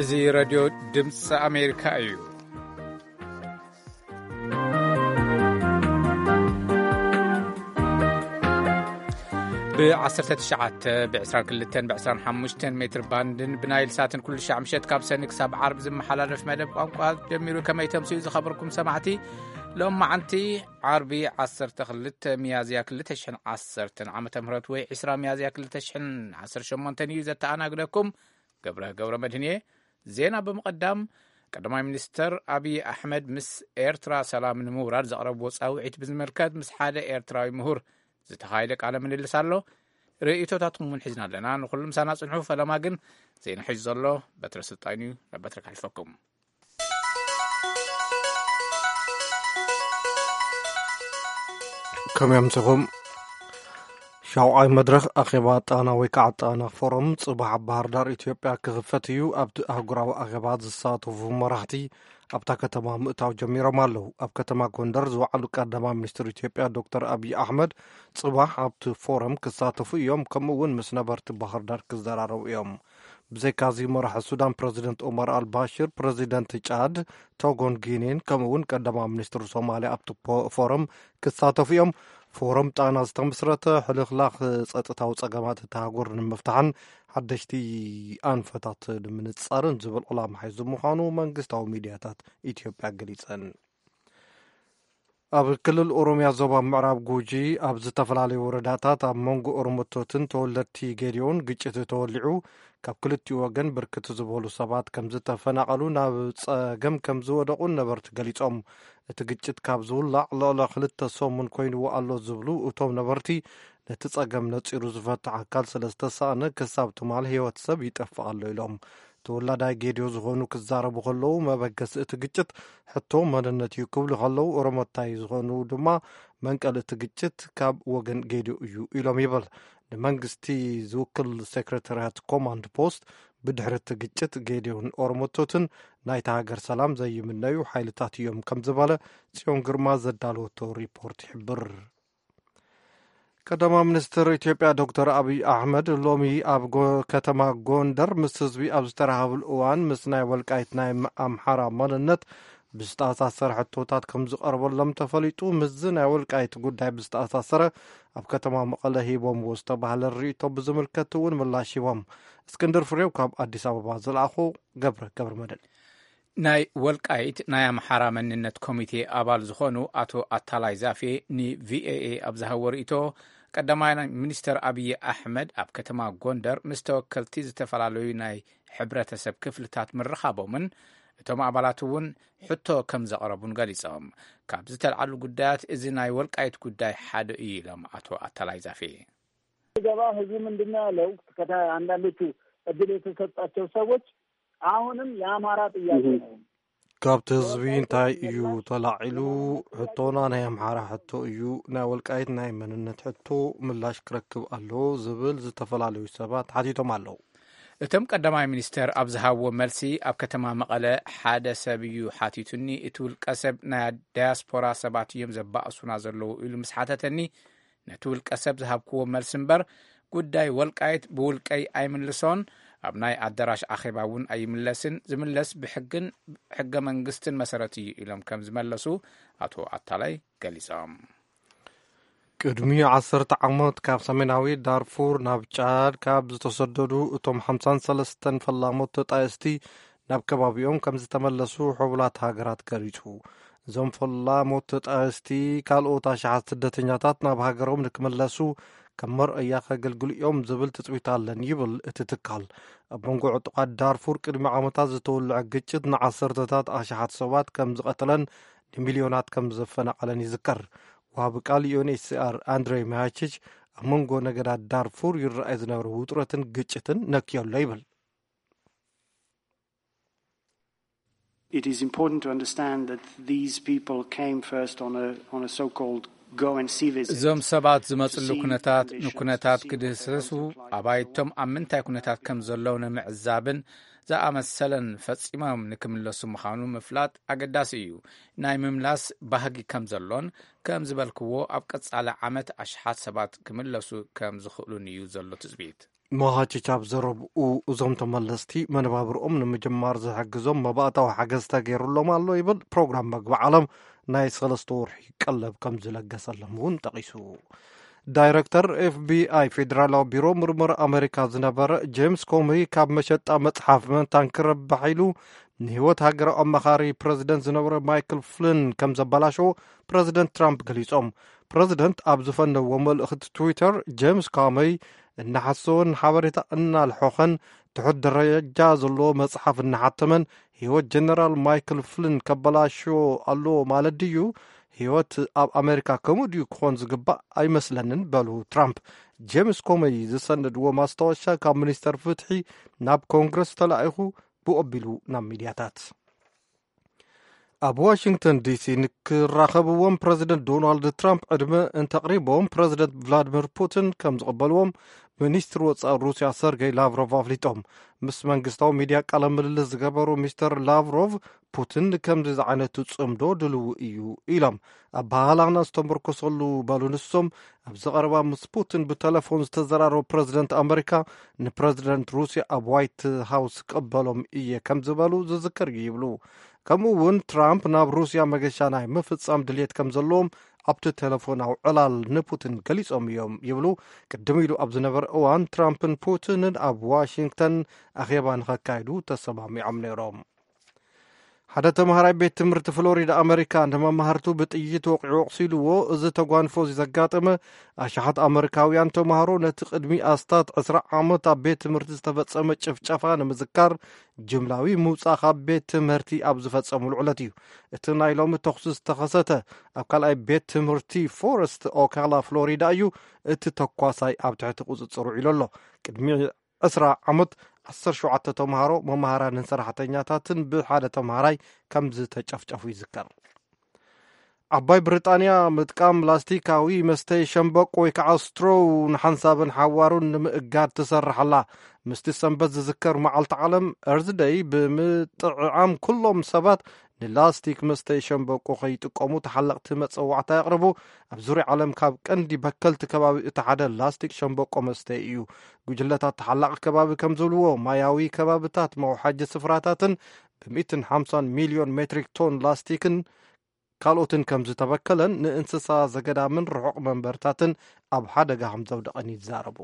እዚ ረድዮ ድምፂ ኣሜሪካ እዩ። ብ12፣ ብ22፣ ብ25 ሜትር ባንድን ብናይል ሳትን ኩሉ ሻዕ ምሸት ካብ ሰኒ ክሳብ ዓርቢ ዝመሓላለፍ መደብ ቋንቋ ጀሚሩ። ከመይ ተምስዩ ዝኸበርኩም ሰማዕቲ? ሎማዓንቲ ዓርቢ ዓሰርተ ክልተ ሚያዝያ ክልተ ሽሕን ዓሰርተን ዓመተ ምህረት ወይ ዕስራ ሚያዝያ ክልተ ሽሕን ዓሰርተ ሸሞንተን እዩ። ዘተኣናግደኩም ገብረ ገብረ መድህን እየ። ዜና ብምቕዳም፣ ቀዳማይ ሚኒስተር ኣብይ ኣሕመድ ምስ ኤርትራ ሰላም ንምውራድ ዘቕረብዎ ጻውዒት ብዝምልከት ምስ ሓደ ኤርትራዊ ምሁር ዝተኻየደ ቃለ ምልልስ ኣሎ። ርእይቶታትኩም እውን ሒዝና ኣለና። ንኹሉ ምሳና ጽንሑ። ፈለማ ግን ዜና ሒዙ ዘሎ በትረ ስልጣን እዩ። ናብ በትረ ከሕልፈኩም። ከመይ ኣምሲኹም? ሻውዓይ መድረኽ ኣኼባ ጣና ወይ ከዓ ጣና ፎረም ጽባሕ ኣብ ባህር ዳር ኢትዮጵያ ክኽፈት እዩ። ኣብቲ ኣህጉራዊ ኣኼባ ዝሳተፉ መራሕቲ ኣብታ ከተማ ምእታው ጀሚሮም ኣለዉ። ኣብ ከተማ ጎንደር ዝወዓሉ ቀዳማይ ሚኒስትር ኢትዮጵያ ዶክተር ኣብይ ኣሕመድ ጽባሕ ኣብቲ ፎረም ክሳተፉ እዮም። ከምኡ እውን ምስ ነበርቲ ባህር ዳር ክዘራረቡ እዮም። ብዘይካዚ መራሒ ሱዳን ፕረዚደንት ኦማር ኣልባሽር፣ ፕረዚደንት ጫድ፣ ቶጎን ጊኒን ከምኡ እውን ቀዳማይ ሚኒስትር ሶማልያ ኣብቲ ፖ- ፎረም ክሳተፉ እዮም። ፎረም ጣና ዝተመስረተ ሕልኽላኽ ጸጥታዊ ጸገማት እታ ሃገር ንምፍታሕን ሓደሽቲ ኣንፈታት ንምንጻርን ዝብል ዕላማ ሒዙ ምዃኑ መንግስታዊ ሚድያታት ኢትዮጵያ ገሊጸን። ኣብ ክልል ኦሮሚያ ዞባ ምዕራብ ጉጂ ኣብ ዝተፈላለዩ ወረዳታት ኣብ መንጎ ኦሮሞቶትን ተወለድቲ ጌዲዮን ግጭት ተወሊዑ ካብ ክልቲኡ ወገን ብርክት ዝበሉ ሰባት ከም ዝተፈናቐሉ ናብ ጸገም ከም ዝወደቑን ነበርቲ ገሊጾም። እቲ ግጭት ካብ ዝውላዕ ልዕሊ ክልተ ሰሙን ኮይንዎ ኣሎ ዝብሉ እቶም ነበርቲ፣ ነቲ ጸገም ነጺሩ ዝፈትሕ ኣካል ስለ ዝተሳእነ ክሳብ ትማል ህይወት ሰብ ይጠፍእ ኣሎ ኢሎም። ተወላዳይ ጌድዮ ዝኾኑ ክዛረቡ ከለዉ፣ መበገሲ እቲ ግጭት ሕቶ መንነት እዩ ክብሉ ከለዉ፣ ኦሮሞታይ ዝኾኑ ድማ መንቀሊ እቲ ግጭት ካብ ወገን ጌድዮ እዩ ኢሎም ይብል። ንመንግስቲ ዝውክል ሴክሬታርያት ኮማንድ ፖስት፣ ብድሕሪ እቲ ግጭት ጌድዮን ኦሮሞቶትን ናይታ ሃገር ሰላም ዘይምነዩ ሓይልታት እዮም ከም ዝበለ ጽዮን ግርማ ዘዳለወቶ ሪፖርት ይሕብር። ቀዳማይ ሚኒስትር ኢትዮጵያ ዶክተር ኣብይ ኣሕመድ ሎሚ ኣብ ጎ- ከተማ ጎንደር ምስ ህዝቢ ኣብ ዝተራኸብሉ እዋን፣ ምስ ናይ ወልቃይት ናይ ኣምሓራ መንነት ብዝተኣሳሰረ ሕቶታት ከም ዝቐርበሎም ተፈሊጡ። ምስዚ ናይ ወልቃይት ጉዳይ ብዝተኣሳሰረ ኣብ ከተማ መቐለ ሂቦምዎ ዝተባህለ ርእይቶ ብዝምልከት እውን ምላሽ ሂቦም። እስክንድር ፍሬው ካብ ኣዲስ ኣበባ ዝለኣኾ። ገብረ ገብረ መድህን። ናይ ወልቃይት ናይ ኣምሓራ መንነት ኮሚቴ ኣባል ዝኾኑ ኣቶ ኣታላይ ዛፌ ንቪኦኤ ኣብ ዝሃቦ ርእይቶ፣ ቀዳማይ ሚኒስተር ኣብይ ኣሕመድ ኣብ ከተማ ጎንደር ምስ ተወከልቲ ዝተፈላለዩ ናይ ሕብረተሰብ ክፍልታት ምርኻቦምን እቶም ኣባላት እውን ሕቶ ከም ዘቕረቡን ገሊጾም። ካብ ዝተልዓሉ ጉዳያት እዚ ናይ ወልቃይት ጉዳይ ሓደ እዩ ኢሎም ኣቶ ኣታላይ ዛፌ። ገባ ህዝቡ ምንድን ነው ያለው? ከታ አንዳንዶቹ እድል የተሰጣቸው ሰዎች አሁንም የአማራ ጥያቄ ነው። ካብቲ ህዝቢ እንታይ እዩ ተላዒሉ? ሕቶና ናይ ኣምሓራ ሕቶ እዩ፣ ናይ ወልቃይት ናይ መንነት ሕቶ ምላሽ ክረክብ ኣለዎ ዝብል ዝተፈላለዩ ሰባት ሓቲቶም ኣለዉ። እቶም ቀዳማይ ሚኒስተር ኣብ ዝሃብዎ መልሲ፣ ኣብ ከተማ መቐለ ሓደ ሰብ እዩ ሓቲቱኒ፣ እቲ ውልቀ ሰብ ናይ ዳያስፖራ ሰባት እዮም ዘባእሱና ዘለዉ ኢሉ ምስ ሓተተኒ፣ ነቲ ውልቀ ሰብ ዝሃብክዎ መልሲ እምበር፣ ጉዳይ ወልቃይት ብውልቀይ ኣይምልሶን፣ ኣብ ናይ ኣዳራሽ ኣኼባ እውን ኣይምለስን፣ ዝምለስ ብሕግን ሕገ መንግስትን መሰረት እዩ ኢሎም ከም ዝመለሱ ኣቶ ኣታላይ ገሊጾም። ቅድሚ ዓሰርተ ዓመት ካብ ሰሜናዊ ዳርፉር ናብ ጫድ ካብ ዝተሰደዱ እቶም ሓምሳን ሰለስተን ፈላሞት ተጣየስቲ ናብ ከባቢኦም ከም ዝተመለሱ ሕቡላት ሃገራት ገሊጹ። እዞም ፈላሞት ተጣየስቲ ካልኦት ኣሽሓት ስደተኛታት ናብ ሃገሮም ንክምለሱ ከም መርኣያ ከገልግሉ እዮም ዝብል ትጽቢት ኣለን ይብል እቲ ትካል። ኣብ መንጎ ዕጡቓት ዳርፉር ቅድሚ ዓመታት ዝተወልዐ ግጭት ንዓሰርተታት ኣሽሓት ሰባት ከም ዝቐተለን ንሚልዮናት ከም ዘፈናቐለን ይዝከር። ወሃቢ ቃል ዩኤንኤችሲኣር ኣንድሬ ማያቺች ኣብ መንጎ ነገዳት ዳርፉር ይረኣይ ዝነበረ ውጥረትን ግጭትን ነክዮ ኣሎ ይብል። It is important to understand that these people came first on a, on a so-called እዞም ሰባት ዝመፅሉ ኩነታት ንኩነታት ክድህሰሱ፣ ኣባይቶም ኣብ ምንታይ ኩነታት ከም ዘለዉ ንምዕዛብን ዝኣመሰለን ፈጺሞም ንክምለሱ ምዃኑ ምፍላጥ ኣገዳሲ እዩ። ናይ ምምላስ ባህጊ ከም ዘሎን ከም ዝበልክዎ ኣብ ቀጻሊ ዓመት ኣሽሓት ሰባት ክምለሱ ከም ዝኽእሉን እዩ ዘሎ ትጽቢት። መሃቺች ኣብ ዘረብኡ፣ እዞም ተመለስቲ መነባብርኦም ንምጅማር ዝሕግዞም መባእታዊ ሓገዝ ተገይሩሎም ኣሎ ይብል። ፕሮግራም መግቢ ዓለም ናይ ሰለስተ ወርሒ ቀለብ ከም ዝለገሰሎም እውን ጠቒሱ። ዳይረክተር ኤፍቢኣይ ፌደራላዊ ቢሮ ምርምር ኣመሪካ ዝነበረ ጄምስ ኮሚ ካብ መሸጣ መጽሓፍ መንታን ክረብሕ ኢሉ ንህይወት ሃገራዊ ኣማኻሪ ፕረዚደንት ዝነበረ ማይክል ፍሊን ከም ዘበላሸዎ ፕረዚደንት ትራምፕ ገሊጾም። ፕረዚደንት ኣብ ዝፈነዎ መልእኽቲ ትዊተር፣ ጄምስ ኮሚ እናሓሰወን ሓበሬታ እናልሖኸን ትሑት ደረጃ ዘለዎ መጽሓፍ እናሓተመን ህይወት ጀነራል ማይክል ፍሊን ከበላሽዎ ኣለዎ ማለት ድዩ? ህይወት ኣብ ኣሜሪካ ከምኡ ድዩ ክኾን ዝግባእ? ኣይመስለንን በሉ ትራምፕ። ጄምስ ኮመይ ዝሰነድዎ ማስታወሻ ካብ ሚኒስተር ፍትሒ ናብ ኮንግረስ ተላኢኹ ብኡ ኣቢሉ ናብ ሚድያታት። ኣብ ዋሽንግተን ዲሲ ንክራኸብዎም ፕረዚደንት ዶናልድ ትራምፕ ዕድመ እንተቕሪቦም፣ ፕረዚደንት ቭላድሚር ፑቲን ከም ዝቕበልዎም ሚኒስትር ወጻኢ ሩስያ ሰርጌይ ላቭሮቭ ኣፍሊጦም። ምስ መንግስታዊ ሚድያ ቃለ ምልልስ ዝገበሩ ሚስተር ላቭሮቭ፣ ፑቲን ንከምዚ ዝዓይነቱ ጽምዶ ድልው እዩ ኢሎም። ኣበሃህላና ዝተመርኮሰሉ በሉ ንሶም፣ ኣብዚ ቀረባ ምስ ፑቲን ብተለፎን ዝተዘራረቡ ፕረዚደንት ኣመሪካ፣ ንፕረዚደንት ሩስያ ኣብ ዋይት ሃውስ ክቕበሎም እየ ከም ዝበሉ ዝዝከር እዩ ይብሉ። ከምኡ እውን ትራምፕ ናብ ሩስያ መገሻ ናይ ምፍጻም ድልየት ከም ዘለዎም ኣብቲ ቴሌፎናዊ ዕላል ንፑቲን ገሊጾም እዮም ይብሉ። ቅድም ኢሉ ኣብ ዝነበረ እዋን ትራምፕን ፑቲንን ኣብ ዋሽንግተን ኣኼባ ንኸካይዱ ተሰማሚዖም ነይሮም። ሓደ ተምሃራይ ቤት ትምህርቲ ፍሎሪዳ ኣመሪካ ንመማህርቱ ብጥይት ወቂዑ ኣቑሲልዎ። እዚ ተጓንፎ እዚ ዘጋጠመ ኣሽሓት ኣመሪካውያን ተምሃሮ ነቲ ቅድሚ ኣስታት ዕስራ ዓመት ኣብ ቤት ትምህርቲ ዝተፈጸመ ጭፍጨፋ ንምዝካር ጅምላዊ ምውጻእ ካብ ቤት ትምህርቲ ኣብ ዝፈጸሙሉ ዕለት እዩ። እቲ ናይ ሎሚ ተኹሲ ዝተኸሰተ ኣብ ካልኣይ ቤት ትምህርቲ ፎረስት ኦካላ ፍሎሪዳ እዩ። እቲ ተኳሳይ ኣብ ትሕቲ ቁጽጽር ውዒሉ ኣሎ። ቅድሚ ዕስራ ዓመት ዓሰርተ ሸውዓተ ተምሃሮ፣ መማህራንን ሰራሕተኛታትን ብሓደ ተምሃራይ ከም ዝተጨፍጨፉ ይዝከር። ዓባይ ብሪጣንያ ምጥቃም ላስቲካዊ መስተይ ሸምበቆ ወይ ከዓ ስትሮው ንሓንሳብን ሓዋሩን ንምእጋድ ትሰርሕ ኣላ። ምስቲ ሰንበት ዝዝከር መዓልቲ ዓለም ኤርዝ ደይ ብምጥዕዓም ኩሎም ሰባት ንላስቲክ መስተይ ሸምበቆ ከይጥቀሙ ተሓለቕቲ መጸዋዕታ የቕርቡ። ኣብ ዙርያ ዓለም ካብ ቀንዲ በከልቲ ከባቢ እቲ ሓደ ላስቲክ ሸምበቆ መስተይ እዩ። ጉጅለታት ተሓላቒ ከባቢ ከም ዝብልዎ፣ ማያዊ ከባብታት፣ መውሓጂ ስፍራታትን ብ ሚእትን ሓምሳን ሚልዮን ሜትሪክ ቶን ላስቲክን ካልኦትን ከም ዝተበከለን ንእንስሳ ዘገዳምን ርሑቕ መንበርታትን ኣብ ሓደጋ ከም ዘውደቐን ይዛረቡ።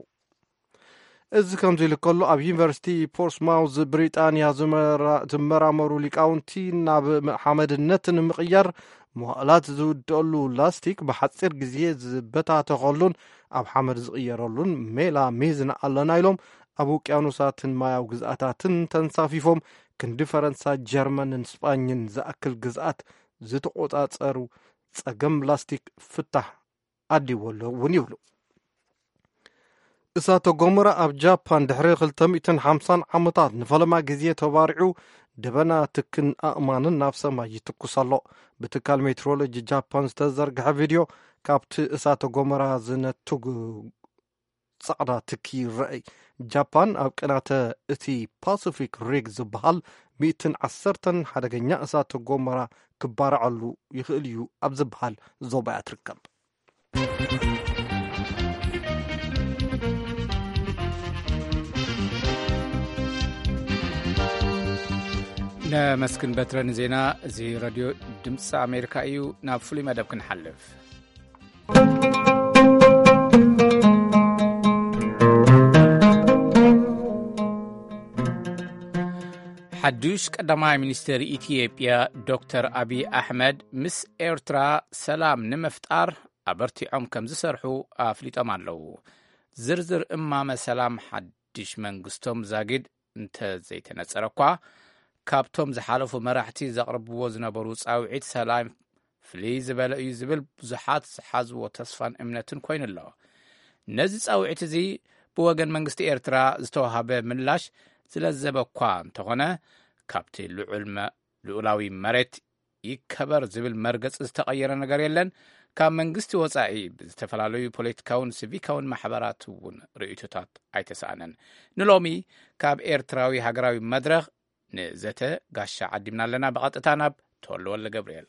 እዚ ከምዚ ኢሉ ከሎ፣ ኣብ ዩኒቨርሲቲ ፖርትስማውዝ ብሪጣንያ ዝመራ-፣ ዝመራመሩ ሊቃውንቲ ናብ ሓመድነት ንምቕያር መዋእላት ዝውድአሉ ላስቲክ ብሓጺር ግዜ ዝበታተኸሉን ኣብ ሓመድ ዝቕየረሉን ሜላ ሚዝና ኣለና ኢሎም፣ ኣብ ውቅያኖሳትን ማያዊ ግዝኣታትን ተንሳፊፎም ክንዲ ፈረንሳ፣ ጀርመንን ስጳኝን ዝኣክል ግዝኣት ዝተቖጻጸሩ ጸገም ላስቲክ ፍታሕ ኣድልይዎ ኣሎ እውን ይብሉ። እሳተ ጎመራ ኣብ ጃፓን ድሕሪ ክልተ ሚእትን ሓምሳን ዓመታት ንፈለማ ግዜ ተባሪዑ፣ ደበና ትክን ኣእማንን ናብ ሰማይ ይትኩስ ኣሎ። ብትካል ሜትሮሎጂ ጃፓን ዝተዘርግሐ ቪድዮ፣ ካብቲ እሳተ ጎመራ ዝነትጉ ጻዕዳ ትኪ ይረኣይ። ጃፓን ኣብ ቅናተ እቲ ፓሲፊክ ሪግ ዝበሃል ሚእትን ዓሰርተን ሓደገኛ እሳተ ጎመራ ክባርዓሉ ይኽእል እዩ ኣብ ዝበሃል ዞባ እያ ትርከብ። ነመስግን በትረ ንዜና። እዚ ሬድዮ ድምፂ ኣሜሪካ እዩ። ናብ ፍሉይ መደብ ክንሓልፍ። ሓዱሽ ቀዳማይ ሚኒስትር ኢትዮጵያ ዶክተር ኣብይ ኣሕመድ ምስ ኤርትራ ሰላም ንምፍጣር ኣበርቲዖም ከም ዝሰርሑ ኣፍሊጦም ኣለዉ። ዝርዝር እማመ ሰላም ሓድሽ መንግስቶም ዛጊድ እንተ ዘይተነጸረ እኳ፣ ካብቶም ዝሓለፉ መራሕቲ ዘቕርብዎ ዝነበሩ ጻውዒት ሰላም ፍልይ ዝበለ እዩ ዝብል ብዙሓት ዝሓዝዎ ተስፋን እምነትን ኮይኑ ኣሎ። ነዚ ጻውዒት እዚ ብወገን መንግስቲ ኤርትራ ዝተዋሃበ ምላሽ ዝለዘበ እኳ እንተኾነ፣ ካብቲ ልዑል መ-፣ ልዑላዊ መሬት ይከበር ዝብል መርገጺ ዝተቐየረ ነገር የለን። ካብ መንግስቲ ወጻኢ ብዝተፈላለዩ ፖለቲካውን ሲቪካውን ማሕበራት እውን ርእይቶታት ኣይተሰኣነን። ንሎሚ ካብ ኤርትራዊ ሃገራዊ መድረኽ ንዘተ ጋሻ ዓዲምና ኣለና። ብቐጥታ ናብ ተወልደ ወልደ ገብርኤል።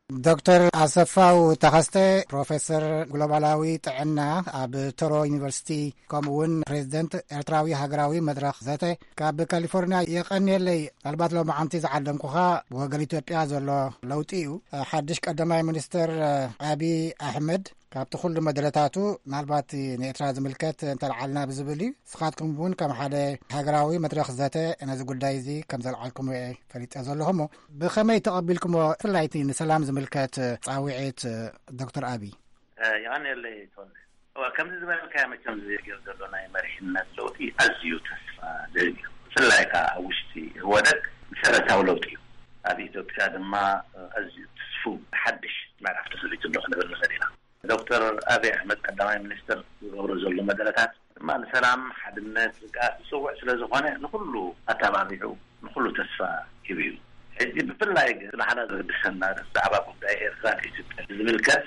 ዶክተር ኣሰፋው ተኸስተ፣ ፕሮፌሰር ግሎባላዊ ጥዕና ኣብ ቶሮ ዩኒቨርሲቲ፣ ከምኡ እውን ፕሬዚደንት ኤርትራዊ ሃገራዊ መድረኽ ዘተ፣ ካብ ካሊፎርኒያ። የቐንየለይ። ምናልባት ሎማዓንቲ ዝዓደምኩኻ፣ ብወገን ኢትዮጵያ ዘሎ ለውጢ እዩ። ሓድሽ ቀዳማይ ሚኒስትር ኣቢ ኣሕመድ ካብቲ ኩሉ መደረታቱ፣ ምናልባት ንኤርትራ ዝምልከት እንተልዓልና ብዝብል እዩ። ንስኻትኩም እውን ከም ሓደ ሃገራዊ መድረኽ ዘተ ነዚ ጉዳይ እዚ ከም ዘልዓልኩምዎ እየ ፈሊጠ ዘለኹ። እሞ ብኸመይ ተቐቢልኩምዎ፣ ብፍላይ እቲ ንሰላም ዝምልከት ጻውዒት ዶክተር ኣቢ? የቐንየለይ ተወልደ። እዋ፣ ከምዚ ዝበልካዮ፣ መቸም ዝገር ዘሎ ናይ መሪሕነት ለውጢ ኣዝዩ ተስፋ ዝህብ እዩ። ብፍላይ ከኣ ኣብ ውሽጢ ህወደግ መሰረታዊ ለውጢ እዩ። ኣብ ኢትዮጵያ ድማ ኣዝዩ ትስፉ ሓድሽ ምዕራፍ ተኸፊቱ ኣሎ ክንብል ንኽእል ኢና። ዶክተር ኣብይ ኣሕመድ ቀዳማይ ሚኒስትር ዝገብሮ ዘሎ መደረታት ድማ ንሰላም፣ ሓድነት፣ ርግኣት ዝጽውዕ ስለ ዝኾነ፣ ንኹሉ ኣተባቢዑ፣ ንኹሉ ተስፋ ሂቡ እዩ። ሕጂ ብፍላይ ግን ንዓና ዘገድሰና ብዛዕባ ጉዳይ ኤርትራን ኢትዮጵያን ዝምልከት፣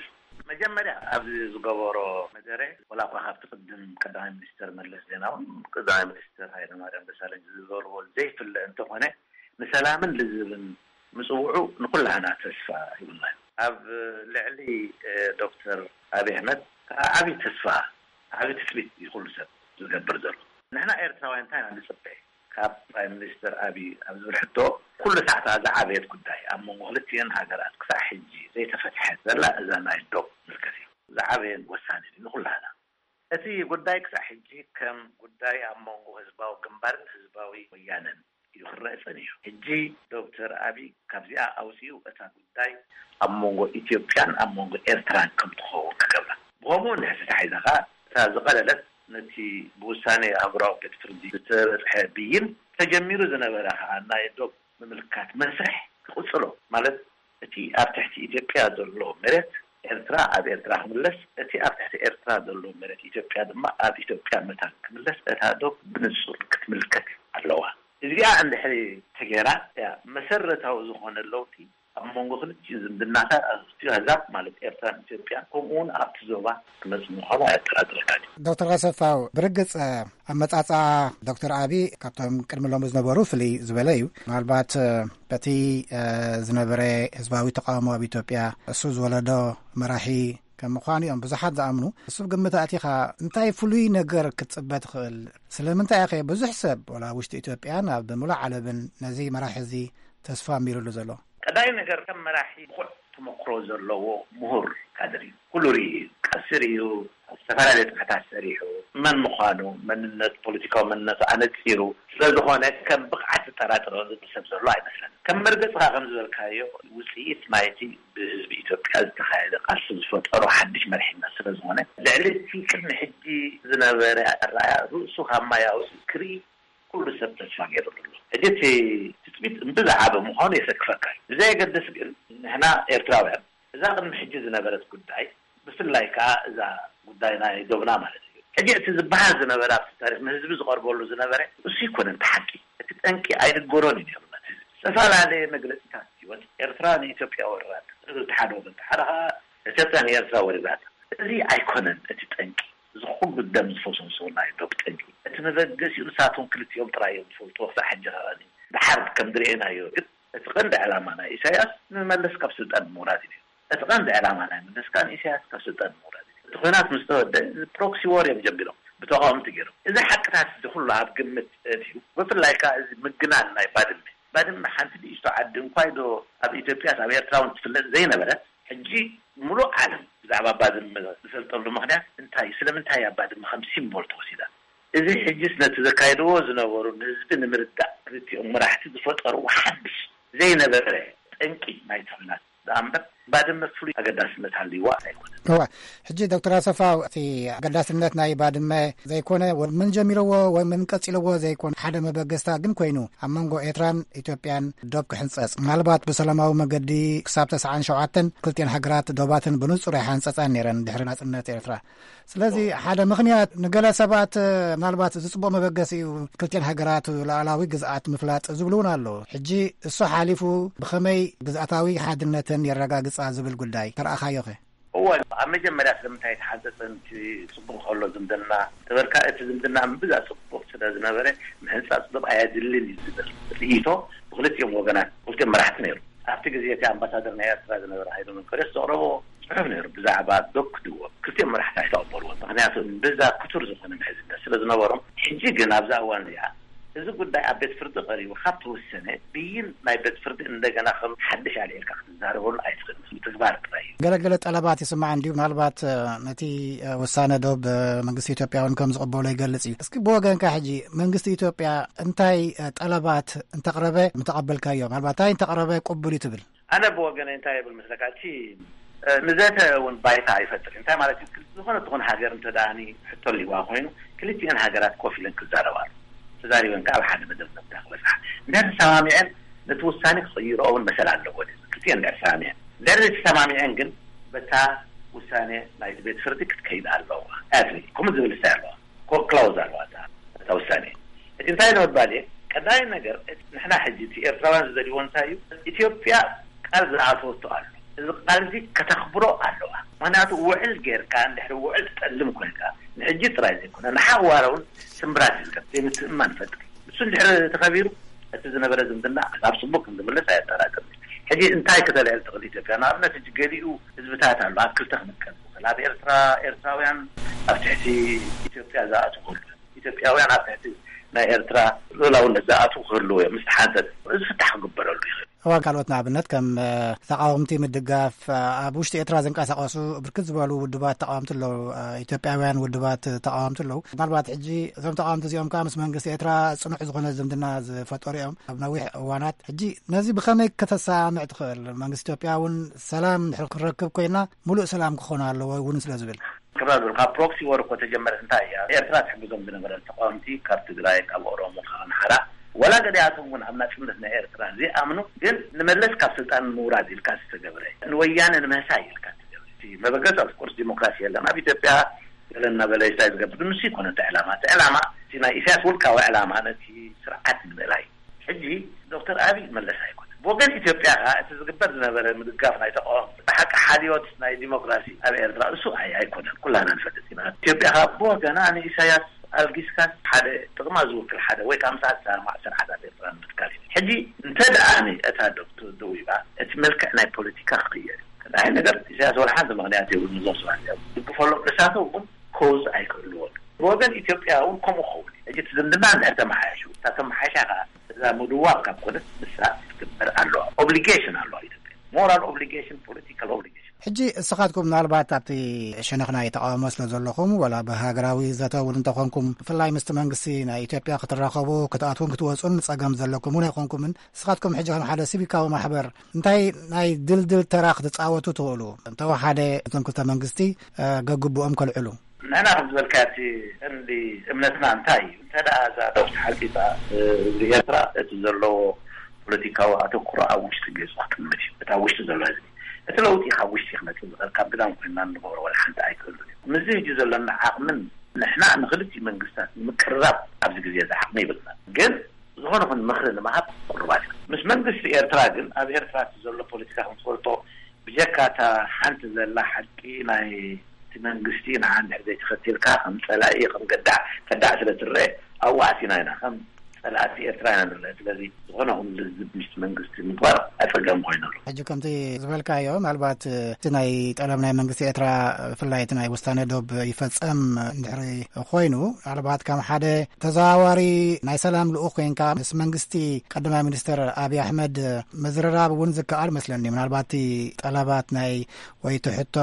መጀመርያ ኣብዚ ዝገበሮ መደረ፣ ወላ እኳ ካብቲ ቅድም ቀዳማይ ሚኒስተር መለስ ዜናውን ቀዳማይ ሚኒስተር ሃይለማርያም ደሳለኝ ዝገበርዎ ዘይፍለ እንተኾነ፣ ንሰላምን ልዝብን ምጽውዑ ንኩላህና ተስፋ ሂቡና እዩ። ኣብ ልዕሊ፣ እ፣ ዶክተር ኣብይ ኣሕመድ ከዓ ዓብዪ ተስፋ፣ ዓብዪ ትጽቢት እዩ ኩሉ ሰብ ዝገብር ዘሎ። ንሕና ኤርትራውያን እንታይ ኢና ንጽበ? ካብ ፕራይም ሚኒስተር ኣብይ ኣብ ዝብል ሕቶ፣ ኩሉ ሰዓት ዝዓበየት ጉዳይ ኣብ መንጎ ክልቲኤን ሃገራት ክሳዕ ሕጂ ዘይተፈትሐት ዘላ እዛ ናይ ዶብ ዝምልከት እዩ። ዝዓበየን ወሳንን እዩ ንኩላህና። እቲ ጉዳይ ክሳዕ ሕጂ ከም ጉዳይ ኣብ መንጎ ህዝባዊ ግንባርን ህዝባዊ ወያነን እዩ ክረአ ጸኒሑ። ሕጂ ዶክተር ኣብይ ካብዚኣ ኣውጺኡ እታ ጉዳይ ኣብ መንጎ ኢትዮጵያን ኣብ መንጎ ኤርትራን ከም ትኸውን ክገብራ። ብኸምኡ እንድሕር ተታሒዛ ኸኣ፣ እታ ዝቐለለት፣ ነቲ ብውሳኔ ኣህጉራዊ ቤት ፍርዲ ዝተበጽሐ ብይን ተጀሚሩ ዝነበረ ኸኣ ናይ ዶብ ምምልካት መስርሕ ክቕጽሎ፣ ማለት እቲ ኣብ ትሕቲ ኢትዮጵያ ዘሎ መሬት ኤርትራ ኣብ ኤርትራ ክምለስ፣ እቲ ኣብ ትሕቲ ኤርትራ ዘሎ መሬት ኢትዮጵያ ድማ ኣብ ኢትዮጵያ መታን ክምለስ፣ እታ ዶብ ብንጹር ክትምልከት ኣለዋ። እዚኣ እንድሕሪ ተገይራ፣ እያ መሰረታዊ ዝኾነ ለውጢ ኣብ መንጎ ክልቲኡ ዝምድናታት፣ ኣብ ክልቲኡ ኣህዛብ፣ ማለት ኤርትራን ኢትዮጵያን፣ ከምኡ እውን ኣብቲ ዞባ ክመጽእ ምዃኑ ኣየጠራጥረካን እዩ። ዶክተር ኣሰፋው፣ ብርግጽ፣ ኣመጻጽኣ ዶክተር ኣቢ ካብቶም ቅድሚ ሎሚ ዝነበሩ ፍልይ ዝበለ እዩ። ምናልባት፣ በቲ፣ ዝነበረ ህዝባዊ ተቃውሞ ኣብ ኢትዮጵያ፣ እሱ ዝወለዶ መራሒ ከም ምዃኑ እዮም ብዙሓት ዝኣምኑ። እሱ ግምት ኣእቲኻ እንታይ ፍሉይ ነገር ክትጽበ ትኽእል? ስለምንታይ ከ ብዙሕ ሰብ፣ ወላ ውሽጢ ኢትዮጵያን ኣብ ምሉእ ዓለምን፣ ነዚ መራሒ እዚ ተስፋ ኣሚሩሉ ዘሎ? ቀዳይ ነገር፣ ከም መራሒ ብቑዕ ተመክሮ ዘለዎ ምሁር ካድር እዩ። ኩሉ ርእዩ እዩ። ቃልሲ ርእዩ፣ ኣብ ዝተፈላለየ ጽፍሕታት ሰሪሑ፣ መን ምዃኑ፣ መንነት፣ ፖለቲካዊ መንነቱ ኣነጺሩ ስለ ዝኾነ፣ ከም ብቕዓት ዝጠራጠሮ ዝብል ሰብ ዘሎ ኣይመስለንን። ከም መርገጽኻ ከም ዝበልካዮ፣ ውጽኢት ናይቲ ብህዝቢ ኢትዮጵያ ዝተኻየደ ቃልሲ ዝፈጠሮ ሓድሽ መሪሕነት ስለ ዝኾነ፣ ልዕሊ እቲ ቅድሚ ሕጂ ዝነበረ ኣረኣእያ፣ ርእሱ ካብ ማይ ኣውጺኡ ክርኢ ኩሉ ሰብ ተስፋ ገይሩ ኣሎ። ሕጂ እቲ ትጽቢት እምብዛ ዓቢ ምዃኑ የሰክፈካ እዩ። ብዘየገድስ ግን፣ ንሕና ኤርትራውያን፣ እዛ ቅድሚ ሕጂ ዝነበረት ጉዳይ፣ ብፍላይ ከኣ እዛ ጉዳይ ናይ ዶብና ማለት እዩ። ሕጂ እቲ ዝበሃል ዝነበረ፣ ኣብቲ ታሪኽ ንህዝቢ ዝቐርበሉ ዝነበረ፣ እሱ ኣይኮነን እቲ ሓቂ። እቲ ጠንቂ ኣይንገሮን እዩ ነይሩ ነቲ ህዝቢ። ዝተፈላለየ መግለጺታት ይወጽእ። ኤርትራ ንኢትዮጵያ ወሪራታ፣ እዚ እቲ ሓደ ወገን። እቲ ሓደ ከኣ፣ ኢትዮጵያ ንኤርትራ ወሪራታ። እዚ ኣይኮነን እቲ ጠንቂ። እዚ ኩሉ ደም ዝፈሰሶ ናይ ዶብ ጠንቂ፣ እቲ መበገሲኡ ንሳቶም ክልቲኦም ጥራይ እዮም ዝፈልጥዎ። ክሳዕ ሕጂ ከኣ፣ ድሓር ከም ዝረኣናዮ ግን፣ እቲ ቀንዲ ዕላማ ናይ ኢሳያስ ንመለስ ካብ ስልጣን ምውራድ እዩ። እቲ ቀንዲ ዕላማ ናይ መለስ ከኣ ንኢሳያስ ካብ ስልጣን ምውራድ እዩ። እቲ ኲናት ምስ ተወደአ፣ እዚ ፕሮክሲ ዎር እዮም ጀሚሮም፣ ብተቓወምቲ ገይሮም። እዚ ሓቅታት እዚ ኩሉ ኣብ ግምት ኣእትዩ፣ ብፍላይ ከኣ እዚ ምግናን ናይ ባድመ። ባድመ ሓንቲ ንእሽቶ ዓዲ እንኳ ዶ ኣብ ኢትዮጵያስ ኣብ ኤርትራ እውን ትፍለጥ ዘይነበረት፣ ሕጂ ምሉእ ዓለም ብዛዕባ ባድመ ዝፈልጠሉ ምኽንያት እንታይ እዩ? ስለምንታይ እያ ባድመ ከም ሲምቦል ተወሲዳ? እዚ ሕጂስ ነቲ ዘካየድዎ ዝነበሩ ንህዝቢ ንምርዳእ ክልቲኦም መራሕቲ ዝፈጠርዎ ሓድሽ ዘይነበረ ጠንቂ ናይቲ ኲናት ደኣ እምበር፣ ባድመ ፍሉይ ኣገዳስነት ሃልይዋ ኣይኮነን። እዋ፣ ሕጂ ዶክተር ኣሰፋ፣ እቲ ኣገዳስነት ናይ ባድመ ዘይኮነ፣ ወ-፣ መን ጀሚርዎ ወይ መን ቀጺልዎ ዘይኮነ፣ ሓደ መበገስታ ግን ኮይኑ፣ ኣብ መንጎ ኤርትራን ኢትዮጵያን ዶብ ክሕንጸጽ፣ ምናልባት ብሰላማዊ መገዲ ክሳብ ተስዓን ሸውዓተን ክልቲኤን ሃገራት ዶባተን ብንጹር ኣይሓንጸጻን ነይረን ድሕሪ ናጽነት ኤርትራ። ስለዚ ሓደ ምኽንያት፣ ንገለ ሰባት ምናልባት እዚ ጽቡቕ መበገሲ እዩ፣ ክልቲኤን ሃገራት ሉዓላዊ ግዝኣት ምፍላጥ ዝብሉ እውን ኣለዉ። ሕጂ እሱ ሓሊፉ ብኸመይ ግዝኣታዊ ሓድነተን የረጋግጻ ዝብል ጉዳይ ተረኣኻዮኸ? እወ፣ ኣብ መጀመርያ ስለምንታይ ተሓንጸጸ? እቲ ጽቡቕ ከሎ ዝምድና ተበልካ፣ እቲ ዝምድና እምብዛ ጽቡቕ ስለ ዝነበረ፣ ምሕንጻጽ ዶብ ኣየድልን እዩ ዝብል ርእይቶ ብክልቲኦም ወገናት፣ ክልቲኦም መራሕቲ ነይሩ። ኣብቲ ግዜ እቲ ኣምባሳደር ናይ ኤርትራ ዝነበረ ሃይለ መንቀርዮስ ዘቕረቦ ጽሑፍ ነይሩ፣ ብዛዕባ ዶብ ክድወብ። ክልቲኦም መራሕቲ ኣይተቐበልዎን። ምኽንያቱ እምብዛ ክቱር ዝኾነ ምሕዝነት ስለ ዝነበሮም። ሕጂ ግን ኣብዛ እዋን እዚኣ እዚ ጉዳይ ኣብ ቤት ፍርዲ ቀሪቡ ካብ ተወሰነ፣ ብይን ናይ ቤት ፍርዲ እንደገና ከም ሓድሽ ኣልዒልካ ክትዛረበሉ ኣይትኽእልን። ተግባር ጥራይ እዩ። ገለገለ ጠለባት ይስማዕ እንድዩ። ምናልባት፣ እ፣ ነቲ፣ እ፣ ውሳነ ዶብ፣ እ፣ መንግስቲ ኢትዮጵያ እውን ከም ዝቕበሎ ይገልጽ እዩ። እስኪ ብወገንካ ሕጂ መንግስቲ ኢትዮጵያ እንታይ፣ እ፣ ጠለባት እንተቕረበ ምተቐበልካዮ? ምናልባት እንታይ እንተቕረበ ቅቡል እዩ ትብል? ኣነ ብወገነይ እንታይ ይብል መስለካ? እቲ፣ እ፣ ንዘተ እውን ባይታ ኣይፈጥር። እንታይ ማለት እዩ? ዝኾነ ትኹን ሃገር እንተ ደኣ ሕቶ ሊዋ ኮይኑ፣ ክልቲኤን ሃገራት ኮፍ ኢለን ክዛረባሉ፣ ተዛሪበን ከኣ ኣብ ሓደ መደምደምታ ክበጽሓ። እንድሕር ተሰማሚዐን፣ ነቲ ውሳኔ ክቕይርኦ እውን መሰል ኣለዎ። ክልቲኤን እንድሕር ተሰማሚዐን፣ እንድሕር ዘይተሰማሚዐን ግን፣ በታ ውሳኔ ናይቲ ቤት ፍርዲ ክትከይድ ኣለዋ። ኣትሪ ከምኡ ዝብል ስታይ ኣለዋ። ኮ-፣ ክላውዝ ኣለዋ እታ፣ እታ ውሳኔ። እቲ እንታይ ንምባል እየ? ቀዳማይ ነገር፣ እቲ ንሕና ሕጂ እቲ ኤርትራውያን ዝደልይዎ እንታይ እዩ? ኢትዮጵያ ቃል ዝኣተወቶ ኣሎ። እዚ ቃል እዚ ከተኽብሮ ኣለዋ። ምኽንያቱ ውዕል ጌርካ፣ እንድሕሪ ውዕል ትጠልም ኮይንካ፣ ንሕጂ ጥራይ ዘይኮነ፣ ንሓዋረ እውን ስምብራት ይዝከር፣ ዘይምትእምማን ይፈጥር። እሱ እንድሕሪ ተኸቢሩ፣ እቲ ዝነበረ ዝምድና ናብ ጽቡቕ ከም ዝምለስ ኣየጠራጥርን። ሕጂ እንታይ ከተልዕል ትኽእል ኢትዮጵያ? ንኣብነት፣ ሕጂ ገሊኡ ህዝብታት ኣሎ ኣብ ክልተ ክምቀል ዝኽእል። ኣብ ኤርትራ፣ ኤርትራውያን ኣብ ትሕቲ ኢትዮጵያ ዝኣትዉ ክህልዉ እዮም። ኢትዮጵያውያን ኣብ ትሕቲ ናይ ኤርትራ ልኡላውነት ዝኣትዉ ክህልዉ እዮም። ምስ ተሓንጸጸ፣ እዚ ፍታሕ ክግበረሉ ይኽእል። እዋን ካልኦት፣ ንኣብነት፣ ከም፣ እ፣ ተቃወምቲ ምድጋፍ፣ እ፣ ኣብ ውሽጢ ኤርትራ ዝንቀሳቐሱ ብርክት ዝበሉ ውድባት ተቃወምቲ ኣለዉ። እ፣ ኢትዮጵያውያን ውድባት ተቃወምቲ ኣለዉ። ምናልባት ሕጂ እዞም ተቃወምቲ እዚኦም ከኣ ምስ መንግስቲ ኤርትራ ጽኑዕ ዝኾነ ዝምድና ዝፈጠሩ እዮም ኣብ ነዊሕ እዋናት። ሕጂ ነዚ ብኸመይ ከተሰማምዕ ትኽእል? መንግስቲ ኢትዮጵያ እውን ሰላም እንድሕር ክንረክብ ኮይና፣ ሙሉእ ሰላም ክኾን ኣለዎ እውን ስለ ዝብል። ክብራ ዝብል፣ ካብ ፕሮክሲ ዎር እኮ ተጀመረ። እንታይ እያ ኤርትራ ትሕግዞም ዝነበረ? ተቃወምቲ ካብ ትግራይ፣ ካብ ኦሮሞ፣ ካብ ኣምሓራ፣ ወላ ገሊኣቶም እውን ኣብ ናጽነት ናይ ኤርትራ ዘይኣምኑ፣ ግን ንመለስ ካብ ስልጣን ንምውራድ ኢልካ ዝተገብረ፣ ንወያነ ንምህሳይ ኢልካ ዝተገብረ። እቲ መበገሲ፣ ኦፍ ኮርስ፣ ዲሞክራሲ የለን ኣብ ኢትዮጵያ። ገለ እናበለ ይስታይ ዝገብር፣ ንሱ ይኮነ እቲ ዕላማ። እቲ ዕላማ፣ እቲ ናይ ኢሳያስ ውልቃዊ ዕላማ፣ ነቲ ስርዓት ንምእላይ። ሕጂ ዶክተር ኣቢይ መለስ ኣይኮነ። ብወገን ኢትዮጵያ ከኣ እቲ ዝግበር ዝነበረ ምድጋፍ ናይ ተቃወምቲ፣ ብሓቂ ሓልዮት ናይ ዲሞክራሲ ኣብ ኤርትራ እሱ ኣይ-፣ ኣይኮነን። ኩላና ንፈልጥ ኢና። ኢትዮጵያ ከኣ ብወገና ንኢሳያስ ኣልጊስካስ ሓደ ጥቕማ ዝውክል ሓደ ወይ ከኣ ምስኣ ዝሰማማዕ ስርዓት ኣብ ኤርትራ ንምትካል እዩ። ሕጂ እንተ ደኣ እታ ዶብ ደዊባ፣ እቲ መልክዕ ናይ ፖለቲካ ክቕየር እዩ። ቀዳማይ ነገር፣ ኢሳያስ ወላ ሓንቲ ምኽንያት የብሉን። እዞም ሰባት እዚኦም ዝድግፈሎም ንሳቶም እውን ኮዝ ኣይክህልዎን። ብወገን ኢትዮጵያ እውን ከምኡ ክኸውን እዩ። ሕጂ እቲ ዝምድና እንድሕር ተመሓየሹ፣ እታ ተመሓይሻ ከኣ እዛ ምድዋብ ካብ ኮነት፣ ንሳ ክትግበር ኣለዋ። ኦብሊጌሽን ኣለዋ ኢትዮጵያ። ሞራል ኦብሊጌሽን፣ ፖለቲካል ኦብሊጌሽን። ሕጂ እስኻትኩም ምናልባት ኣብቲ ሸነኽ ናይ ተቃውሞ ስለ ዘለኹም፣ ወላ ብሃገራዊ ዘተ እውን እንተኾንኩም፣ ብፍላይ ምስቲ መንግስቲ ናይ ኢትዮጵያ ክትራኸቡ፣ ክትኣትዉን ክትወጹን ጸገም ዘለኩም እውን ኣይኮንኩምን። እስኻትኩም ሕጂ ከም ሓደ ሲቪካዊ ማሕበር እንታይ ናይ ድልድል ተራ ክትጻወቱ ትኽእሉ? እንተወሓደ እቶም ክልተ መንግስቲ፣ እ፣ ገግብኦም ከልዕሉ። ንሕና ከም ዝበልካዮ፣ እቲ ቀንዲ እምነትና እንታይ እዩ? እንተ ደኣ እዛ ዶብ ተሓንጺጻ፣ እ፣ ህዝቢ ኤርትራ እቲ ዘለዎ ፖለቲካዊ ኣተኩሮ ኣብ ውሽጢ ገጹ ክጥምት እዩ። እቲ ኣብ ውሽጢ ዘሎ ህዝቢ፣ እቲ ለውጢ ካብ ውሽጢ ክመጽእ ዝኽእል፣ ካብ ግዳም ኮይንና እንገብሮ ወላ ሓንቲ ኣይክህሉን እዩ። ምስዚ ሕጂ ዘለና ዓቕምን ንሕና ንክልቲኡ መንግስታት ንምቅርራብ ኣብዚ ግዜ እዚ ዓቕሚ ይብልና። ግን ዝኾነ ይኹን ምኽሪ ንምሃብ ቅሩባት ኢና። ምስ መንግስቲ ኤርትራ ግን፣ ኣብ ኤርትራ እቲ ዘሎ ፖለቲካ ከም ትፈልጦ፣ ብጀካ እታ ሓንቲ ዘላ ሓቂ ናይ እቲ መንግስቲ ንዓ እንድሕር ዘይተኸቲልካ ከም ጸላኢ፣ ከም ገዳዕ፣ ከዳዕ ስለ ትረአ፣ ኣብኡ ኣቲና ኢና፣ ከም ጸላእቲ ኤርትራ ኢና ንረአ። ስለዚ ዝኾነ ይኹን ልዝብ ምስቲ መንግስቲ ምግባር ኣጸጋሚ ኮይኑ ኣሎ። ሕጂ ከምቲ ዝበልካዮ፣ ምናልባት እቲ ናይ ጠለብ ናይ መንግስቲ ኤርትራ፣ ብፍላይ እቲ ናይ ውሳነ ዶብ ይፈጸም እንድሕሪ ኮይኑ፣ ምናልባት ከም ሓደ ተዘዋዋሪ ናይ ሰላም ልኡኽ ኮይንካ ምስ መንግስቲ ቀዳማይ ሚኒስትር ኣብይ ኣሕመድ ምዝርራብ እውን ዝከኣል መስለኒ። ምናልባት እቲ ጠለባት ናይ ወይ እቲ ሕቶ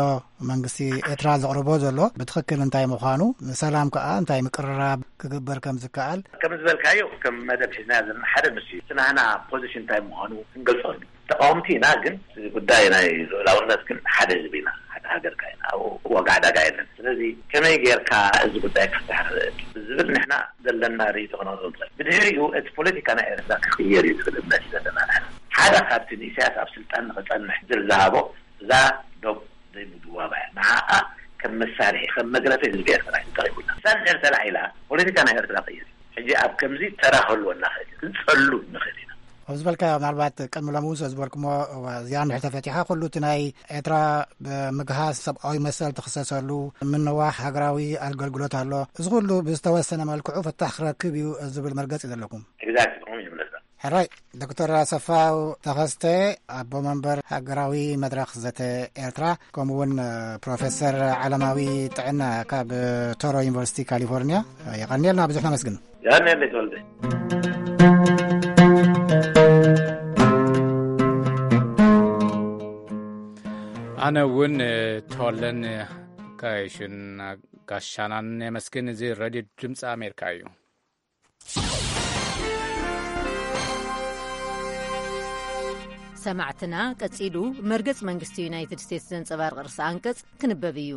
መንግስቲ ኤርትራ ዘቕርቦ ዘሎ ብትኽክል እንታይ ምዃኑ፣ ንሰላም ከኣ እንታይ ምቅርራብ ክግበር ከም ዝከኣል። ከም ዝበልካዮ፣ ከም መደብ ሒዝና ዘለና ሓደ ንሱ እዩ። እቲ ናህና ፖዚሽን እንታይ ምዃኑ ክንገልጾ፣ ተቃወምቲ ኢና፣ ግን እዚ ጉዳይ ናይ ልኡላውነት ግን ሓደ ህዝቢ ኢና፣ ሓደ ሃገር ከኣ ኢና፣ ኣብኡ ዋጋ ዕዳጋ የለን። ስለዚ ከመይ ጌርካ እዚ ጉዳይ ክፍታሕ ንኽእል ብዝብል ንሕና ዘለና ርእይቶ ክነቕርብ ንኽእል። ብድሕሪኡ እቲ ፖለቲካ ናይ ኤርትራ ክቕየር እዩ ዝብል እምነት እዩ ዘለና ንሕና። ሓደ ካብቲ ንኢሳያስ ኣብ ስልጣን ንኽጸንሕ ዝል ዝሃቦ እዛ ዶብ ዘይምድዋባ እያ። ንዓኣ ከም መሳርሒ፣ ከም መግረፊ ህዝቢ ኤርትራ እዩ ተጠቒሙላ። እዛ እንድሕር ተላዒላ፣ ፖለቲካ ናይ ኤርትራ ይቕየር እዩ። ሕጂ ኣብ ከምዚ ተራ ክህልወና ይኽእል እዩ። ክንጸሉ ንኽእል ኢና። ኣብ ዝበልካዮ፣ ምናልባት ቅድሚ ሎሚ እውን ስለ ዝበልኩሞ፣ እዋ፣ እዚኣ እንድሕር ተፈቲሓ፣ ኩሉ እቲ ናይ ኤርትራ ብምግሃስ ሰብኣዊ መሰል ትኽሰሰሉ ምንዋሕ ሃገራዊ ኣገልግሎት ኣሎ። እዚ ኩሉ ብዝተወሰነ መልክዑ ፍታሕ ክረክብ እዩ ዝብል መርገጺ ዘለኩም። Exactly፣ ከምኡ እዩ ዝመስለኒ። ሕራይ፣ ዶክተር ኣሰፋው ተኸስተ፣ ኣቦ መንበር ሃገራዊ መድረኽ ዘተ ኤርትራ፣ ከምኡ እውን ፕሮፌሰር ዓለማዊ ጥዕና ካብ ቶሮ ዩኒቨርሲቲ ካሊፎርኒያ፣ የቐንየልና፣ ብዙሕ ነመስግን። ያን ያለ ተወልደ። ኣነ እውን ተወለን ከይሽን ጋሻናን የመስግን። እዚ ሬድዮ ድምፂ ኣሜሪካ እዩ። ሰማዕትና፣ ቀጺሉ መርገጽ መንግስቲ ዩናይትድ ስቴትስ ዘንጸባርቕ ርእሰ ኣንቀጽ ክንበብ እዩ።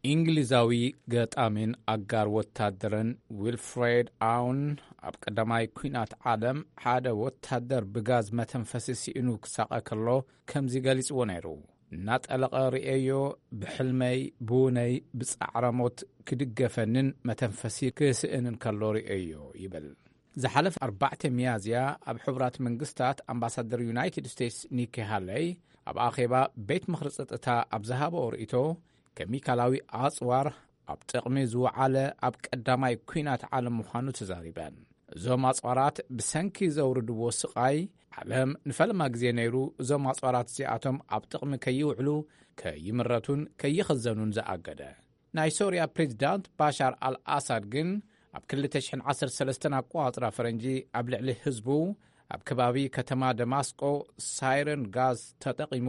እንግሊዛዊ ገጣሚን ኣጋር ወታደርን ዊልፍሬድ ኣውን፣ ኣብ ቀዳማይ ኲናት ዓለም ሓደ ወታደር ብጋዝ መተንፈሲ ስኢኑ ክሳቐ ከሎ ከምዚ ገሊጽዎ ነይሩ። እናጠለቐ ርእየዮ፣ ብሕልመይ፣ ብውነይ፣ ብጻዕረ ሞት ክድገፈንን መተንፈሲ ክስእንን ከሎ ርእየዮ ይብል። ዝሓለፈ ኣርባዕተ ሚያዝያ ኣብ ሕቡራት መንግስታት ኣምባሳደር ዩናይትድ ስቴትስ ኒኪ ሃለይ ኣብ ኣኼባ ቤት ምኽሪ ጸጥታ ኣብ ዝሃበኦ ርእይቶ፣ ኬሚካላዊ ኣጽዋር ኣብ ጥቕሚ ዝወዓለ ኣብ ቀዳማይ ኲናት ዓለም ምዃኑ ተዛሪበን። እዞም ኣጽዋራት ብሰንኪ ዘውርድዎ ስቓይ፣ ዓለም ንፈለማ ግዜ ነይሩ እዞም ኣጽዋራት እዚኣቶም ኣብ ጥቕሚ ከይውዕሉ፣ ከይምረቱን ከይኽዘኑን ዝኣገደ። ናይ ሶርያ ፕሬዚዳንት ባሻር ኣልኣሳድ ግን ኣብ ክልተ ሽሕን ዓሰርተ ሰለስተን ኣቆጻጽራ ፈረንጂ ኣብ ልዕሊ ህዝቡ ኣብ ከባቢ ከተማ ደማስቆ ሳይረን ጋዝ ተጠቒሙ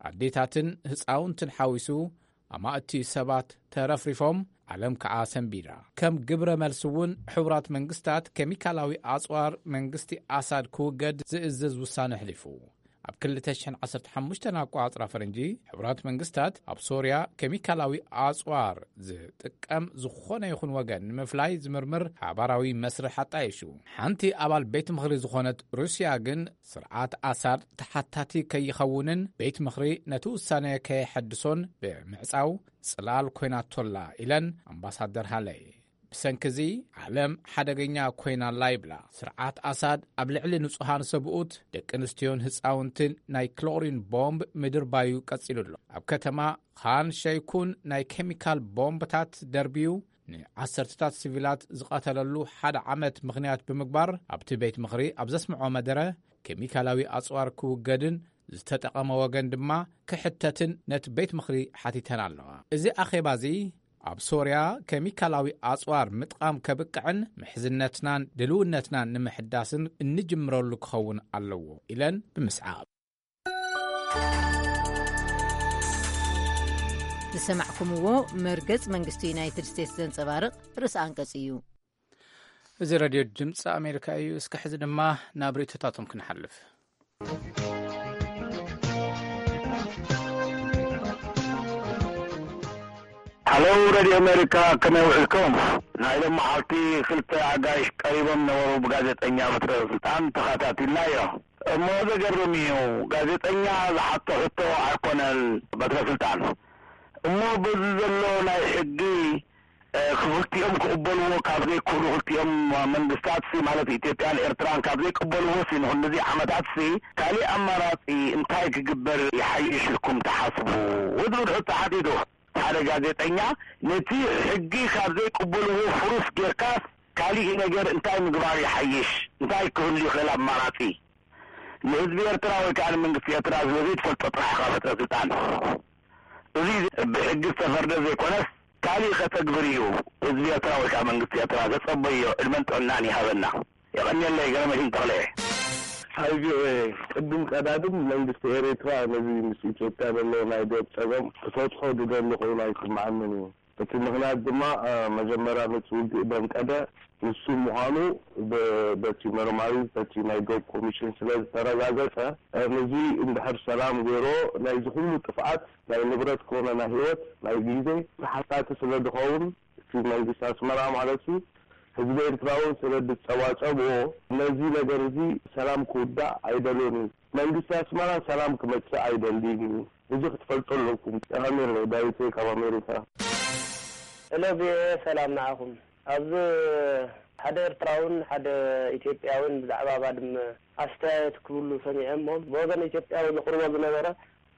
ኣዴታትን ህጻውንትን ሓዊሱ ኣማእቲ ሰባት ተረፍሪፎም፣ ዓለም ከኣ ሰንቢዳ። ከም ግብረ መልሲ እውን ሕቡራት መንግስታት ኬሚካላዊ ኣጽዋር መንግስቲ ኣሳድ ክውገድ ዝእዝዝ ውሳነ ኣሕሊፉ። ኣብ ክልተ ሽሕን ዓሰርተ ሓሙሽተን ኣቆጻጽራ ፈረንጂ፣ ሕቡራት መንግስታት ኣብ ሶርያ ኬሚካላዊ ኣጽዋር ዝጥቀም ዝኾነ ይኹን ወገን ንምፍላይ ዝምርምር ሓባራዊ መስርሕ ኣጣይሹ። ሓንቲ ኣባል ቤት ምኽሪ ዝኾነት ሩስያ ግን፣ ስርዓት ኣሳድ ተሓታቲ ከይኸውንን ቤት ምኽሪ ነቲ ውሳነ ከየሐድሶን ብምዕጻው ጽላል ኮይናቶላ ኢለን ኣምባሳደር ሃለይ። ብሰንኪ እዚ ዓለም ሓደገኛ ኮይና ኣላ ይብላ። ስርዓት ኣሳድ ኣብ ልዕሊ ንጹሃን ሰብኡት፣ ደቂ ኣንስትዮን ህጻውንትን ናይ ክሎሪን ቦምብ ምድርባዩ ቀጺሉ ኣሎ። ኣብ ከተማ ኻን ሸይኩን ናይ ኬሚካል ቦምብታት ደርብዩ ንዓሰርተታት ሲቪላት ዝቐተለሉ ሓደ ዓመት ምኽንያት ብምግባር፣ ኣብቲ ቤት ምኽሪ ኣብ ዘስምዖ መደረ፣ ኬሚካላዊ ኣጽዋር ክውገድን ዝተጠቐመ ወገን ድማ ክሕተትን ነቲ ቤት ምኽሪ ሓቲተን ኣለዋ። እዚ ኣኼባ እዚ ኣብ ሶርያ ኬሚካላዊ ኣጽዋር ምጥቓም ከብቅዕን ምሕዝነትናን ድልውነትናን ንምሕዳስን እንጅምረሉ ክኸውን ኣለዎ ኢለን ብምስዓብ። ዝሰማዕኩምዎ መርገጽ መንግስቲ ዩናይትድ ስቴትስ ዘንጸባርቕ ርእሰ ኣንቀጽ እዩ። እዚ ሬድዮ ድምፂ ኣሜሪካ እዩ። እስከ ሕዚ ድማ ናብ ርእይቶታቶም ክንሓልፍ። ሃሎ ሬድዮ ኣሜሪካ፣ ከመይ ውዒልኩም? ናይ ሎም መዓልቲ ክልተ ኣጋይሽ ቀሪቦም ነበሩ፣ ብጋዜጠኛ በትረ ስልጣን ተኸታቲልናዮ። እሞ ዘገርም እዩ፣ ጋዜጠኛ ዝሓቶ ሕቶ ኣይኮነን በትረ ስልጣን። እሞ በዚ ዘሎ ናይ ሕጊ፣ እ፣ ክልቲኦም ክቕበልዎ ካብ ዘይክእሉ፣ ክልቲኦም መንግስታት ሲ፣ ማለት ኢትዮጵያን ኤርትራን ካብ ዘይቅበልዎ ሲ፣ ንክንድዚ ዓመታት ሲ፣ ካሊእ ኣማራጺ እንታይ ክግበር ይሓይሽ ኢልኩም ትሓስቡ? ዝብል ሕቶ ሓቲቱ ሓደ ጋዜጠኛ። ነቲ ሕጊ ካብ ዘይቅበልዎ ፍሩስ ጌርካስ ካሊእ ነገር እንታይ ምግባር ይሓይሽ? እንታይ ክህሉ ይኽእል ኣማራጺ? ንህዝቢ ኤርትራ ወይ ከዓ ንመንግስቲ ኤርትራ ስለ ዘይትፈልጦ ጥራሕ ኢኻ በትረ ስልጣን። እዚ ብሕጊ ዝተፈርደ ዘይኮነስ፣ ካሊእ ከተግብር እዩ ህዝቢ ኤርትራ ወይ ከዓ መንግስቲ ኤርትራ ዘጸበዮ። ዕድመን ጥዕናን ይሃበና። የቐንየለይ። ገረመሽን ተኽለ። ሃይ ቪኦኤ፣ ቅድም ቀዳድም መንግስቲ ኤርትራ ነዚ ምስ ኢትዮጵያ ዘለዎ ናይ ዶብ ጸገም ክፈትሖ ዝደሊ ኮይኑ ኣይስምዓንን እዩ። እቲ ምኽንያት ድማ፣ እ፣ መጀመርያ ነቲ ውግእ ዘንቀደ ንሱ ምዃኑ ብ-፣ በቲ መርማሪ፣ በቲ ናይ ዶብ ኮሚሽን ስለ ዝተረጋገጸ፣ እ፣ ነዚ እንድሕር ሰላም ገይሮ፣ ናይዚ ኩሉ ጥፍኣት፣ ናይ ንብረት ኮነ ናይ ህይወት፣ ናይ ግዜ ተሓታቲ ስለ ዝኸውን፣ እቲ መንግስቲ ኣስመራ ማለት እዩ፣ ህዝቢ ኤርትራ እውን ስለ ዝጸባጸብዎ፣ ነዚ ነገር እዚ ሰላም ክውዳእ ኣይደልዮን እዩ። መንግስቲ ኣስመራ ሰላም ክመጽእ ኣይደልን እዩ። እዚ ክትፈልጡ ኣለኩም። የቐንየለይ። ዳዊት ካብ ኣሜሪካ። ሄሎ ቪኦኤ፣ ሰላም ንዓኹም። ኣብዚ ሓደ ኤርትራውን ሓደ ኢትዮጵያውን ብዛዕባ ባድመ ኣስተያየት ክብሉ ሰሚዐ እሞ፣ ብወገን ኢትዮጵያዊ ዘቕርቦ ዝነበረ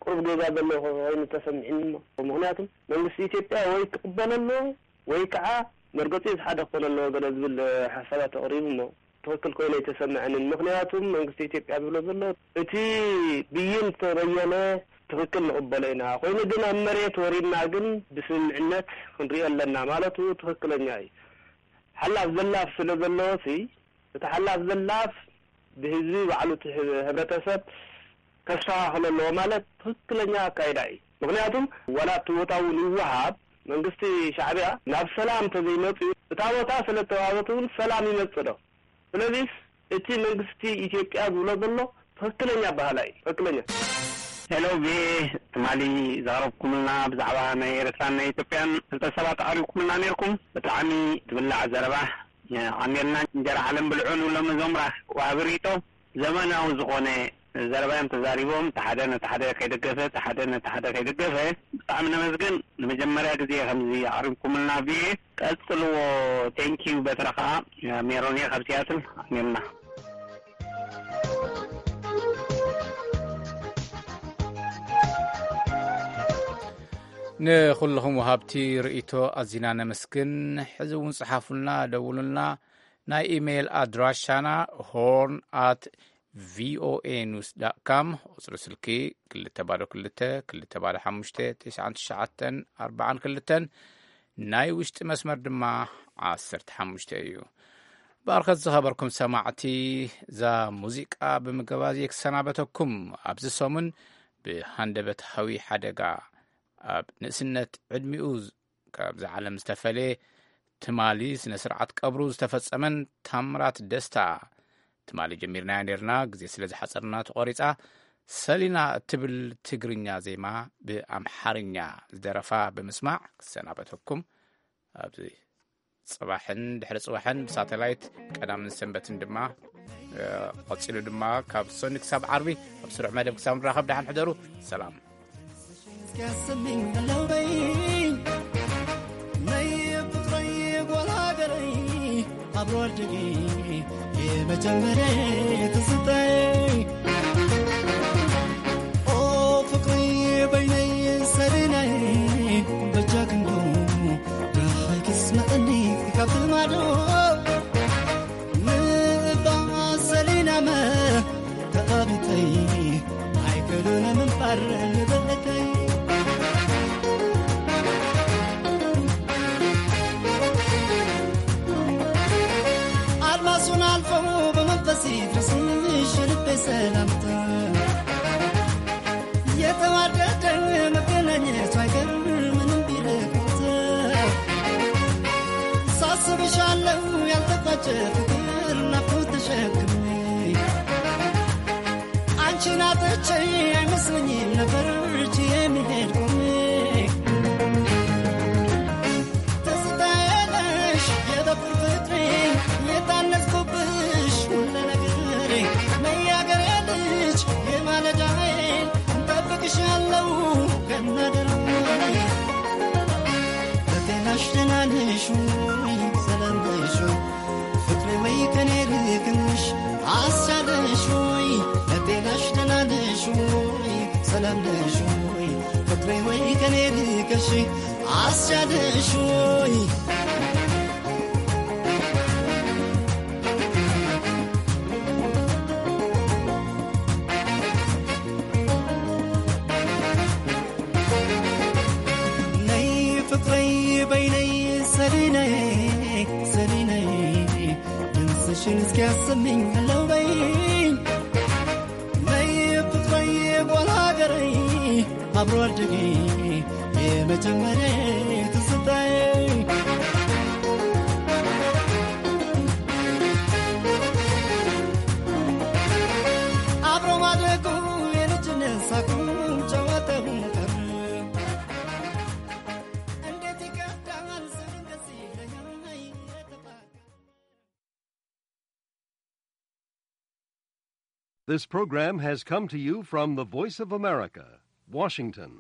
ቁሩብ ጌጋ ዘሎ ኮይኑ ተሰሚዕኒ እሞ፣ ምኽንያቱም መንግስቲ ኢትዮጵያ ወይ ክቕበሎ ኣለዎ ወይ ከዓ መርገጺኡ እቲ ሓደ ክኾነ ኣለዎ ገለ ዝብል ሓሳባት ኣቕሪቡ እሞ፣ ትኽክል ኮይኑ ኣይተሰምዐንን። ምኽንያቱም መንግስቲ ኢትዮጵያ ዝብሎ ዘሎ እቲ ብይን ተበየነ ትኽክል ንቕበሎ ኢና። ኮይኑ ግን ኣብ መሬት ወሪድና ግን ብስምምዕነት ክንሪኦ ኣለና ማለቱ ትኽክለኛ እዩ። ሓላፍ ዘላፍ ስለ ዘለዎሲ፣ እቲ ሓላፍ ዘላፍ ብህዝቢ ባዕሉ እቲ ህብ-፣ ህብረተሰብ ከስተኻኽሎ ኣለዎ ማለት ትኽክለኛ ኣካይዳ እዩ። ምኽንያቱም ዋላ እቲ ቦታ እውን ይወሃብ፣ መንግስቲ ሻዕብያ ናብ ሰላም እንተዘይመፅኡ፣ እታ ቦታ ስለ እተዋህበት እውን ሰላም ይመፅእ ዶ? ስለዚስ እቲ መንግስቲ ኢትዮጵያ ዝብሎ ዘሎ ትኽክለኛ ኣበሃህላ እዩ። ትኽክለኛ። ሄሎ፣ ቪኦኤ፣ ትማሊ ዘቕረብኩምልና ብዛዕባ ናይ ኤርትራን ናይ ኢትዮጵያን ፍልጠት ሰባት ኣቕሪብኩምልና ነይርኩም። ብጣዕሚ ትብላዕ ዘረባ፣ ኣሜልና እንጀራ ዓለም ብልዑ ንብሎም እዞም ራ-፣ ዋሃቢ ርእይቶ። ዘመናዊ ዝኾነ ዘረባ እዮም ተዛሪቦም። እቲ ሓደ ነቲ ሓደ ከይደገፈ፣ እቲ ሓደ ነቲ ሓደ ከይደገፈ። ብጣዕሚ ነመስግን። ንመጀመርያ ግዜ ከምዚ ኣቕሪብኩምልና ቪኦኤ። ቀጽልዎ። ቴንኪዩ። በትረ ኸዓ ሜሮን እየ ካብ ሲያትል። ኣሜልና። ንኹልኹም ወሃብቲ ርእይቶ ኣዚና ነመስግን። ሕዚ እውን ጽሓፉልና፣ ደውሉልና። ናይ ኢሜይል ኣድራሻና ሆርን ኣት ቪኦኤ ኒውስ ዳት ካም፣ ቁጽሪ ስልኪ ክልተ ባዶ ክልተ፣ ክልተ ባዶ ሓሙሽተ፣ ትሽዓን ትሽዓተን ኣርባዓን ክልተን፣ ናይ ውሽጢ መስመር ድማ ዓሰርተ ሓሙሽተ እዩ። ባርኸት ዝኸበርኩም ሰማዕቲ፣ እዛ ሙዚቃ ብምግባዝ እየ ክሰናበተኩም። ኣብዚ ሰሙን ብሃንደበታዊ ሓደጋ ኣብ ንእስነት ዕድሚኡ ካብ እዛ ዓለም ዝተፈልየ፣ ትማሊ ስነ ስርዓት ቀብሩ ዝተፈጸመን ታምራት ደስታ፣ ትማሊ ጀሚርናያ ነርና፣ ግዜ ስለ ዝሓጸርና ተቖሪጻ። ሰሊና እትብል ትግርኛ ዜማ ብኣምሓርኛ ዝደረፋ ብምስማዕ ክሰናበተኩም። ኣብዚ ጽባሕን ድሕሪ ጽባሕን ብሳተላይት፣ ቀዳምን ሰንበትን ድማ፣ እ፣ ቀጺሉ ድማ ካብ ሰኒ ክሳብ ዓርቢ ኣብ ስሩዕ መደብ ክሳብ ንራኸብ፣ ደሓን ሕደሩ። ሰላም። እስኪ ያሰሚኝ በለው በይ፣ ነይ ፍቅረይ ጓል ሃገረይ፣ አብሮ አደጌ የመጀመሪያ ትዝታዬ። ኦ ፍቅሪ በይነይ ሰሪነይ፣ በጃ ክንዱ ደሃይ ክስመጠኒ ካብ ማዶ። ንእባ ሰሊናመ ተቐቢተይ ኣይክእሉን ምንባር ልበለተይ። ኣድማሱን ኣልፎ ብመንፈስ ይድረስሽ ልቤ ሰላምታ። የተዋደደ መገናኘቱ አይቀር ምንም ቢርቅ ቦታ። ሳስብሻለው ያልተቋጨ ፍቅር ናፍቆት ተሸክሜ። አንቺን አጥቼ አይመስለኝም ነበር እጄ የሚሄድ ቆሜ። ትዝታዬ ነሽ የበኩር ፍቅሬ፣ የታነጽኩብሽ ሁሉ ነገሬ። ነይ ያገሬ ልጅ የማለዳዬ፣ እንጠብቅሻለው ከናደራዬ። በጤናሽ ደህና ነሽ ወይ? ሰላም ነሽ ወይ? ፍቅሬ ወይ ከኔ ልክንሽ አስቻለሽ ወይ? በጤናሽ ደህና ነሽ ወይ? ሰላም ነሽ ወይ? ፍቅሬ ወይ ከኔ ልከሽ አስቻለሽ ወይ? ነይ ፍቅረይ በይነይ ሰሊነይ፣ ሰሊነይ፣ ድምፅሽን እስኪያሰሚኝ አለው በይኝ። ነይ ፍቅረይ ጓል ሀገረይ፣ አብሮ አደጌ የመጀመሪያ ትዝታዬ። አብሮ ማደጉ የልጅነት ሳቁ ጨዋታው ቀረ። እንዴት ይከብዳል ስል እንደዚህ ለኛ የተባለ። This program has come to you from the Voice of America, Washington.